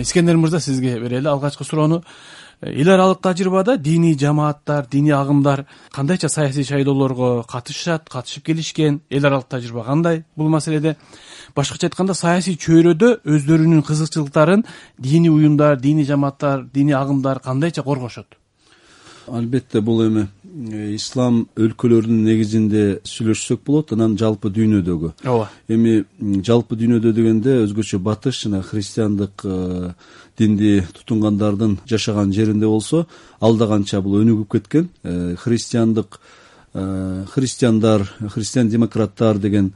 Искендер мырза, сизге берели алгачкы суроону. Эл аралык тажрыйбада диний жамааттар, диний агымдар кандайча саясий шайлоолорго катышып келишкен? Эл аралык тажрыйба кандай бул маселеде? Башкача айтканда, саясий чөйрөдө өздөрүнүн кызыкчылыктарын диний уюмдар, диний жамааттар, диний агымдар кандайча коргошот? Албетте бул эми ислам өлкөлөрүнүн негизинде сүйлөшсөк болот, анан жалпы дүйнөдөгү. Ооба. Эми жалпы дүйнөдө дегенде өзгөчө батыш жана христиандык динди тутунгандардын жашаган жеринде болсо, алда канча бул өнүгүп кеткен. Христиандар, христиан-демократтар деген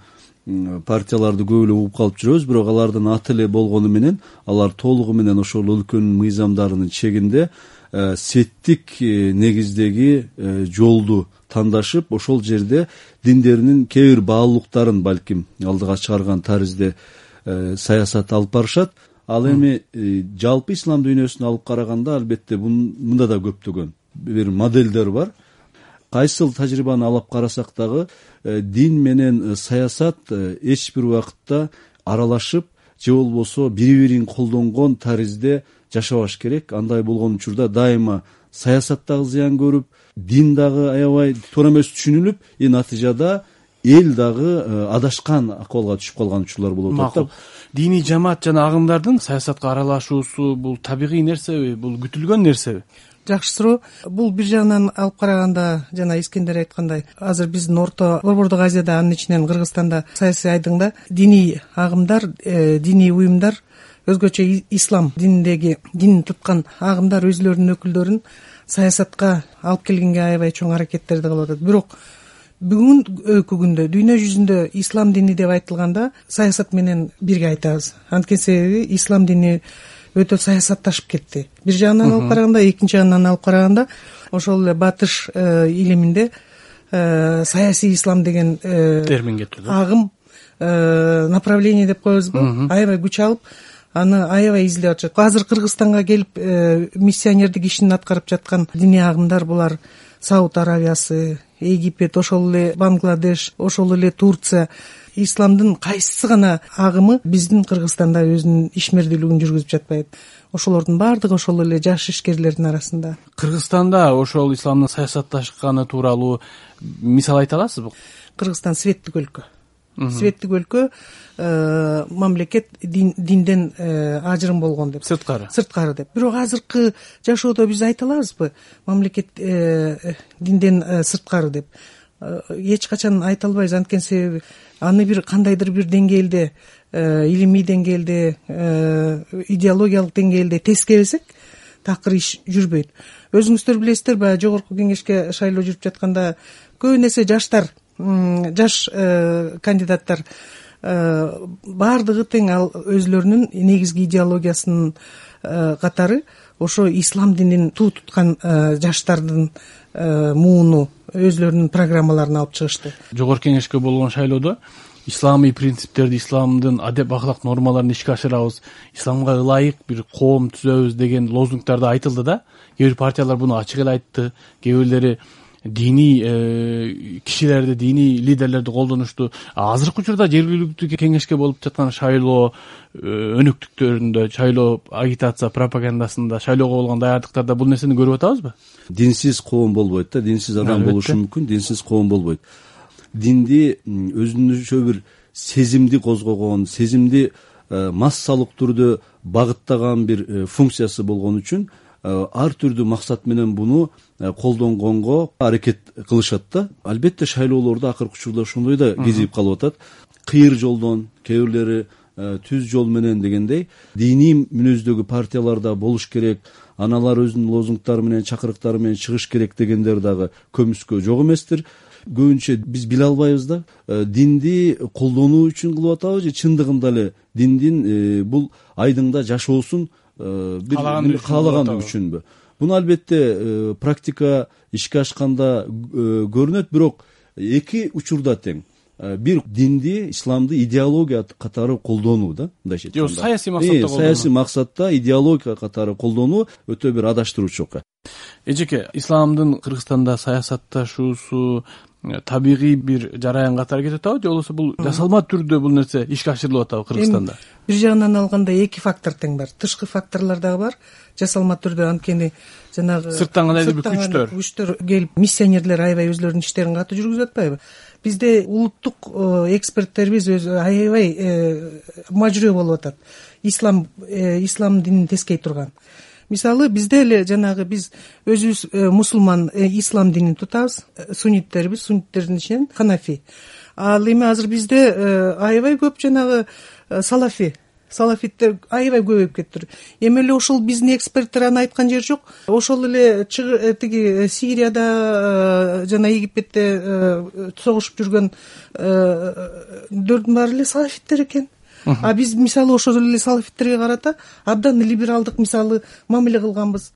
партияларды көп эле угуп калып жүрөбүз, бирок алардын аты эле болгону менен алар толугу менен ошол өлкөнүн мыйзамдарынын чегинде сеттик негиздеги жолду тандашып, ошол жерде диндеринин кээ бир баалуулуктарын балким алдыга чыгарган таризде саясат алып барышат. Ал эми жалпы ислам дүйнөсүнө алып караганда, албетте мында да көптөгөн бир моделдер бар. Кайсыл тажрыйбаны алып карасак дагы дин менен саясат эч бир убакытта аралашып же болбосо бири-бирин колдонгон таризде жашабаш керек. Андай болгон учурда дайыма саясат дагы зыян көрүп, дин дагы аябай туура эмес түшүнүлүп, натыйжада эл дагы адашкан акыбалга түшүп калган учурлар болуп атат. Диний жамаат жана агымдардын саясатка аралашуусу бул табигый нерсеби, бул күтүлгөн нерсеби? Жакшы суроо. Бул бир жагынан алып караганда, жана Искендер айткандай, азыр биздин Борбордук Азияда, анын ичинен Кыргызстанда саясий айдыңда диний агымдар, диний уюмдар, өзгөчө ислам динин туткан агымдар өзлөрүнүн өкүлдөрүн саясатка алып келгенге аябай чоң аракеттерди кылып атат. Бирок бүгүнкү күндө дүйнө жүзүндө ислам дини деп айтылганда саясат менен бирге айтабыз. Анткени себеби ислам дини өтө саясатташып кетти. Бир жагынан алып караганда, экинчи жагынан алып караганда, ошол эле батыш илиминде саясий ислам деген термин кетти. Агым, направление деп коебузбу, аябай күч алып, аны аябай издеп атышат. Азыр Кыргызстанга келип миссионердик ишин аткарып жаткан диний агымдар булар Сауд Аравиясы, Египет, ошол эле Бангладеш, ошол эле Турция. Исламдын кайсы гана агымы биздин Кыргызстанда өзүнүн ишмердүүлүгүн жүргүзүп жатпайт. Ошолордун баардыгы ошол эле жаш ишкерлердин арасында. Кыргызстанда ошол исламдын саясатташканы тууралуу мисал айта аласызбы? Кыргызстан светтик өлкө. Светтик өлкө, мамлекет динден ажырым болгон деп. Сырткары деп. Бирок азыркы жашоодо биз айта алабызбы, мамлекет динден сырткары деп? Эч качан айта албайбыз. Анткени себеби аны бир кандайдыр бир деңгээлде, илимий деңгээлде, идеологиялык деңгээлде тескересек, такыр иш жүрбөйт. Өзүңүздөр билесиздер, баягы жогорку кеңешке шайлоо жүрүп жатканда көп нерсе жаш кандидаттар баардыгы тең ал өзлөрүнүн негизги идеологиясынын катары ошо ислам динин туу туткан жаштардын мууну, өзлөрүнүн программаларын алып чыгышты. Жогорку кеңешке болгон шайлоодо исламий принциптерди, исламдын адеп аклак нормаларын ишке ашырабыз, исламга ылайык бир коом түзөбүз деген лозунгдар да айтылды да. Кээ бир партиялар буну ачык эле айтты, кээ бирлери диний кишилерди, диний лидерлерди колдонушту. Азыркы учурда жергиликтүү кеңешке болуп жаткан шайлоо өнөктүктөрүндө, шайлоо агитация пропагандасында, шайлоого болгон даярдыктарда бул нерсени көрүп атабызбы? Динсиз коом болбойт да, динсиз адам болушу мүмкүн, динсиз коом болбойт. Динди өзүнчө бир сезимди козгогон, сезимди массалык түрдө багыттаган бир функциясы болгон үчүн ар түрдүү максат менен буну колдонгонго аракет кылышат да. Албетте шайлоолордо акыркы учурда ошондой да кезип калып атат. Кыйыр жолдон, кээ бирлери түз жол менен дегендей диний мүнөздөгү партияларда болуш керек, аналар өзүнүн лозунгдары менен, чакырыктары менен чыгыш керек дегендер дагы көмүскө жок эместир. Көбүнчө биз биле албайбыз да, динди колдонуу үчүн кылып атабыз же чындыгында эле диндин бул айдыңда жашоосун каалагандык үчүнбү? Буну албетте практика ишке ашканда көрүнөт, бирок эки учурда тең. Бир динди, исламды идеология катары колдонуу да, мындайча айтканда. Саясий максатта колдонуу. Саясий максатта идеология катары колдонуу өтө бир адаштыруучу окуя. Эжеке, исламдын Кыргызстанда саясатташуусу табигый бир жараян катары кетип атабы же болбосо бул жасалма түрдө бул нерсе ишке ашырылып атабы Кыргызстанда? Бир жагынан алганда эки фактор тең бар. Тышкы факторлор дагы бар. Жасалма түрдө анткени жанагы сырттан кандайдыр бир күчтөр келип миссионерлер аябай өзлөрүнүн иштерин катуу жүргүзүп атпайбы? Бизде улуттук эксперттерибиз аябай мажүрөө болуп атат. Ислам динин тескей турган. Мисалы бизде эле жанагы биз өзүбүз мусулман ислам динин тутабыз. Сунниттердин ичинен ханафи. Ал эми азыр бизде аябай көп жанагы салафиттер аябай көбөйүп кетти. Эми эле ошол биздин эксперттер аны айткан жери жок. Ошол эле тиги Сирияда жана Египетте согушуп жүргөн дөрдүн баары эле салафиттер экен. А биз мисалы ошол эле салафиттерге карата абдан либералдык мисалы мамиле кылганбыз.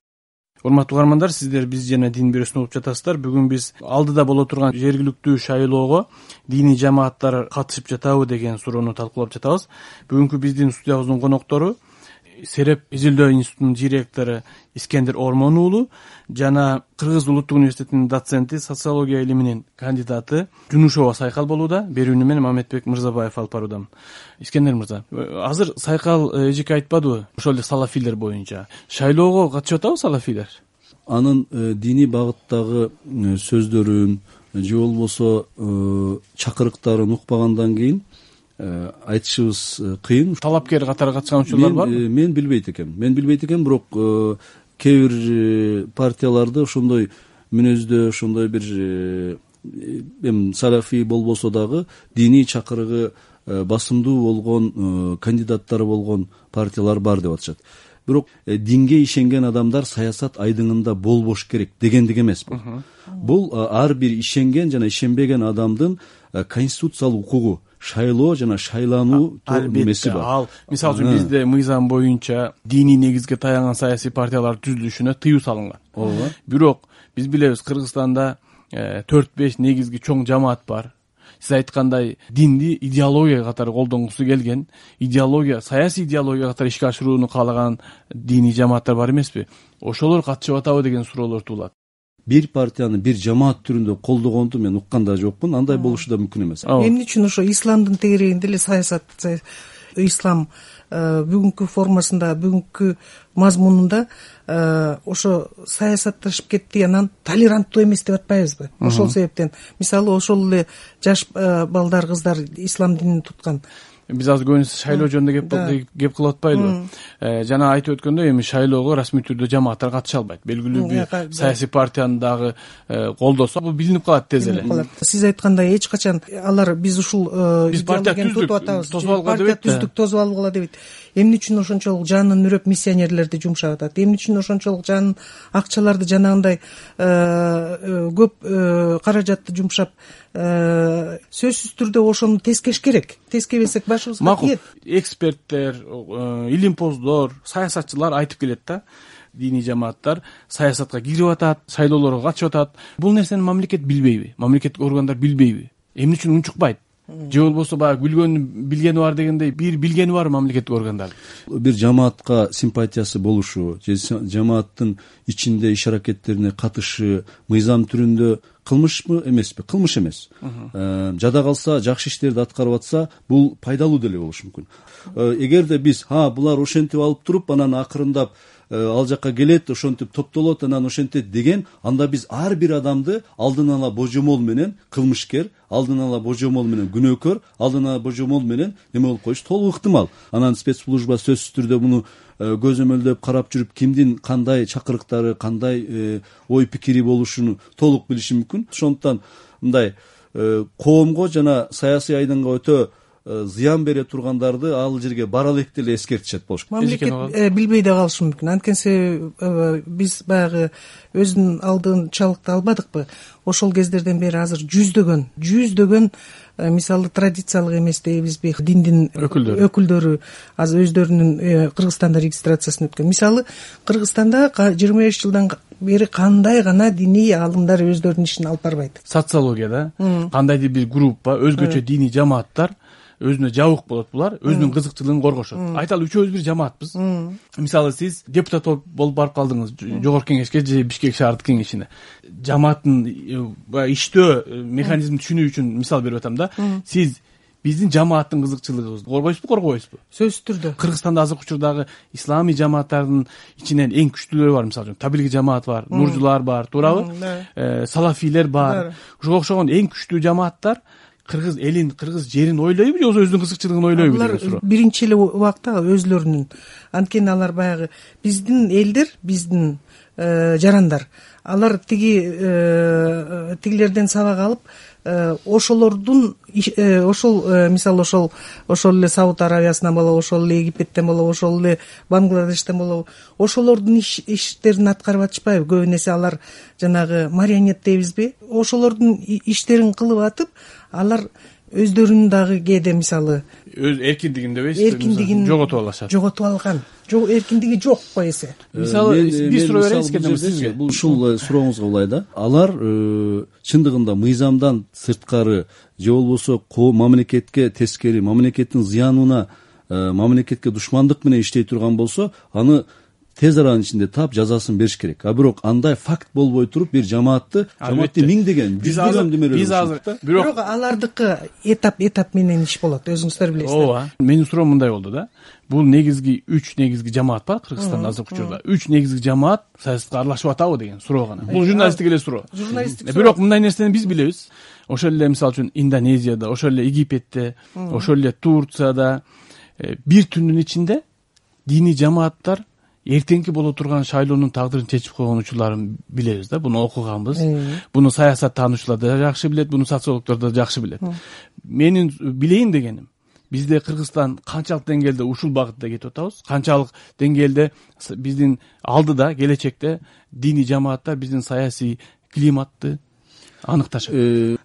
Урматтуу угармандар, сиздер Биз жана дин бирөөсүн угуп жатасыздар. Бүгүн биз алдыда боло турган жергиликтүү шайлоого диний жамааттар катышып жатабы деген суроону талкуулап жатабыз. Бүгүнкү биздин студиябыздын коноктору Сереп изилдөө институтунун директору Искендер Ормон уулу жана Кыргыз улуттук университетинин доценти, социология илиминин кандидаты Жунушова Сайкал болууда. Берүүнү мен Мамедбек Мырзабаев алып баруудамын. Искендер мырза, азыр Сайкал эжеке айтпадыбы ошол эле салафилер боюнча шайлоого катышып атабы салафилер? Анын диний багыттагы сөздөрүн же болбосо чакырыктарын укпагандан кийин айтышыбыз кыйын. Талапкер катары катышкан учурлар барбы? Мен билбейт экенмин, бирок кээ бир партияларды ошондой мүнөздө, ошондой бир эми салафи болбосо дагы диний чакырыгы басымдуу болгон кандидаттары болгон партиялар бар деп атышат. Бирок динге ишенген адамдар саясат айдыңында болбош керек дегендик эмес бул. Бул ар бир ишенген жана ишенбеген адамдын конституциялык укугу. Шайлоо жана шайлануу немеси бар. Ал мисалы үчүн бизде мыйзам боюнча диний негизге таянган саясий партиялар түзүлүшүнө тыюу салынган. Ооба. Бирок биз билебиз, Кыргызстанда 4-5 негизги чоң жамаат бар. Сиз айткандай динди идеология катары колдонгусу келген, саясий идеология катары ишке ашырууну каалаган диний жамааттар бар эмеспи? Ошолор катышып атабы деген суроолор туулат. Бир партияны бир жамаат түрүндө колдогонду мен уккан да жокмун. Андай болушу да мүмкүн эмес. Эмне үчүн ошо исламдын тегерегинде эле саясат, ислам бүгүнкү формасында, бүгүнкү мазмунунда ошо саясатташып кетти, анан толеранттуу эмес деп атпайбызбы? Ошол себептен мисалы ошол эле жаш балдар, кыздар ислам динин туткан. Биз азыр көбүнесе шайлоо жөнүндө кеп кылып атпайлыбы? Жана айтып өткөндөй, эми шайлоого расмий түрдө жамааттар катыша албайт. Белгилүү бир саясий партияны дагы колдосо, бул билинип калат тез эле. Сиз айткандай эч качан алар биз ушул партия тутуп атабыз, партия түздүк, тосуп алгыла дебейт. Эмне үчүн ошончолук жанын үрөп миссионерлерди жумшап атат? Эмне үчүн ошончолук жанын акчаларды жанагындай көп каражатты жумшап? Сөзсүз түрдө ошону тескеш керек. Тескебесек башыбызга тиет. Эксперттер, илимпоздор, саясатчылар айтып келет да. Диний жамааттар саясатка кирип атат, шайлоолорго катышып атат. Бул нерсени мамлекет билбейби? Мамлекеттик органдар билбейби? Эмне үчүн унчукпайт? Же болбосо баягы билгени бар дегендей, бир билгени бар мамлекеттик органдар. Бир жамаатка симпатиясы болушу, же жамааттын ичинде иш аракеттерине катышы мыйзам түрүндө кылмышпы эмеспи? Кылмыш эмес. Жада калса, жакшы иштерди аткарып атса, бул пайдалуу деле болушу мүмкүн. Эгерде биз булар ошентип алып туруп, анан акырындап ал жакка келет, ошентип топтолот, анан ошентет деген, анда биз ар бир адамды алдын ала божомол менен кылмышкер, алдын ала божомол менен күнөөкөр, алдын ала божомол менен неме болуп коюш толук ыктымал. Анан спецслужба сөзсүз түрдө муну көзөмөлдөп карап жүрүп, кимдин кандай чакырыктары, кандай ой пикири болушун толук билиши мүмкүн. Ошондуктан мындай коомго жана саясий айдынга өтө зыян бере тургандарды ал жерге бара элек деле эскертишет болуш керек. Мамлекет билбей да калышы мүмкүн. Анткени биз баягы өзүнүн алдын чалыкты албадыкпы? Ошол кездерден бери азыр жүздөгөн мисалы традициялык эмес дейбизби, диндин өкүлдөрү азыр өздөрүнүн Кыргызстанда регистрациясын өткөн. Мисалы Кыргызстанда 25 жылдан бери кандай гана диний аалымдар өздөрүнүн ишин алып барбайт. Социологияда кандайдыр бир группа, өзгөчө диний жамааттар өзүнө жабык болот, булар өзүнүн кызыкчылыгын коргошот. Айталы үчөөбүз бир жамаатпыз. Мисалы сиз депутат болуп барып калдыңыз жогорку кеңешке же Бишкек шаардык кеңешине. Жамааттын иштөө механизмин түшүнүү үчүн мисал берип атам да. Сиз биздин жамааттын кызыкчылыгыбызды коргойсузбу, коргобойсузбу? Сөзсүз түрдө. Кыргызстанда азыркы учурдагы исламий жамааттардын ичинен эң күчтүүлөрү бар, мисалы үчүн Табилги жамаат бар, Нуржулар бар, туурабы? Салафилер бар. Ошого окшогон эң күчтүү жамааттар кыргыз элин, кыргыз жерин ойлойбу же өзүнүн кызыкчылыгын ойлойбу деген суроо. Алар биринчи эле убакта өзлөрүнүн, анткени алар баягы биздин элдер, биздин жарандар, алар тигилерден сабак алып, ошолордун ошол мисалы ошол эле Сауд Аравиясынан болобу, ошол эле Египеттен болобу, ошол эле Бангладештен болобу, ошолордун иштерин аткарып атышпайбы? Көбү нерсе алар жанагы марионет дейбизби? Ошолордун иштерин кылып атып, алар өздөрүнүн дагы кээде мисалы өз эркиндигин дебейсизби, жоготуп алышат. Жоготуп алган. Эркиндиги жок го эсе. Мисалы бир суроо берейинизби сизге? Бул ушул сурооңузга улай да. Алар чындыгында мыйзамдан сырткары же болбосо мамлекетке тескери, мамлекеттин зыянына, мамлекетке душмандык менен иштей турган болсо, аны тез аранын ичинде таап жазасын бериш керек. А бирок андай факт болбой туруп бир жамаатты миңдеген, жүздөгөн демелер. Бирок алардыкы этап менен иш болот, өзүңүздөр билесиздер. Ооба. Менин суроом мындай болду да. Бул негизги 3 негизги жамаат бар Кыргызстанда азыркы учурда. 3 негизги жамаат саясатка аралашып атабы деген суроо гана. Бул журналисттик эле суроо. Бирок мындай нерсени биз билебиз. Ошол эле мисалы үчүн Индонезияда, ошол эле Египетте, ошол эле Турцияда бир түндүн ичинде диний жамааттар эртеңки боло турган шайлоонун тагдырын чечип койгон учурларын билебиз да. Буну окуганбыз. Буну саясаттануучулар да жакшы билет, буну социологдор да жакшы билет. Менин билейин дегеним, бизде Кыргызстан канчалык деңгээлде ушул багытта кетип атабыз, канчалык деңгээлде биздин алдыда келечекте диний жамааттар биздин саясий климатты аныкташат.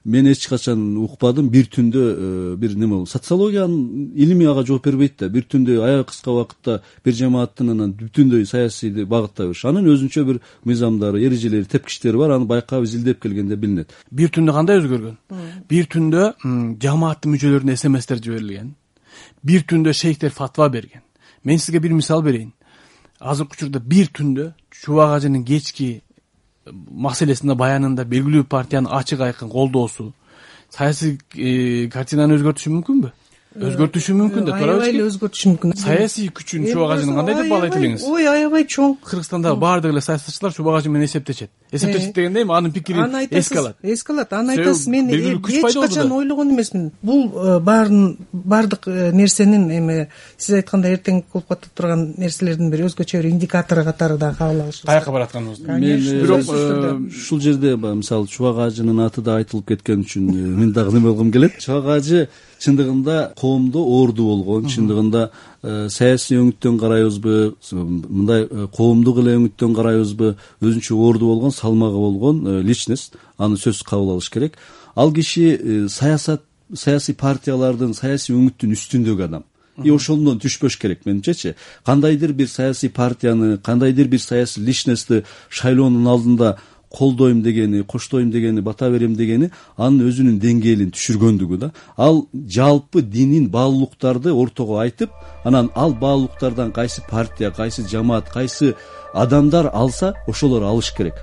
Мен эч качан укпадым бир түндө бир неме болду. Социологиянын илими ага жооп бербейт да. Бир түндө аябай кыска убакытта бир жамааттын анан бүтүндөй саясий багыттай бериш. Анын өзүнчө бир мыйзамдары, эрежелери, тепкичтери бар. Аны байкап изилдеп келгенде билинет. Бир түндө кандай өзгөргөн? Бир түндө жамааттын мүчөлөрүнө СМСтер жиберилген. Бир түндө шейхтер фатва берген. Мен сизге бир мисал берейин. Азыркы учурда бир түндө Чубак ажынын кечки маселесинде баянында белгилүү партиянын ачык айкын колдоосу саясий картинаны өзгөртүшү мүмкүнбү? Өзгөртүшү мүмкүн да, туурабы? Аябай эле өзгөртүшү мүмкүн. Саясий күчүн Чубак ажынын кандай деп баалайт элеңиз? Ой, аябай чоң. Кыргызстанда баардык эле саясатчылар Чубак ажы менен эсептешет. Эсептешет дегенде эми анын пикирин эске алат. Эске алат. Аны айтасыз, мен эч качан ойлогон эмесмин. Бул баардык нерсенин эми сиз айткандай эртең болуп ката турган нерселердин бир өзгөчө бир индикатору катары да кабыл алышыбыз. Каяка баратканыбызды. Бирок ушул жерде мисалы Чубак ажынын аты да айтылып кеткен үчүн мен дагы неме болгум келет. Чубак ажы чындыгында коомдо орду болгон, чындыгында саясий өңүттөн карайбызбы, мындай коомдук эле өңүттөн карайбызбы, өзүнчө орду болгон, салмагы болгон личность, аны сөзсүз кабыл алыш керек. Ал киши саясий партиялардын, саясий өңүттүн үстүндөгү адам. Ошондон түшпөш керек менимчечи. Кандайдыр бир саясий партияны, кандайдыр бир саясий личностьты шайлоонун алдында колдойм дегени, коштойм дегени, бата берем дегени анын өзүнүн деңгээлин түшүргөндүгү да. Ал жалпы динин баалуулуктарды ортого айтып, анан ал баалуулуктардан кайсы партия, кайсы жамаат, кайсы адамдар алса, ошолор алыш керек.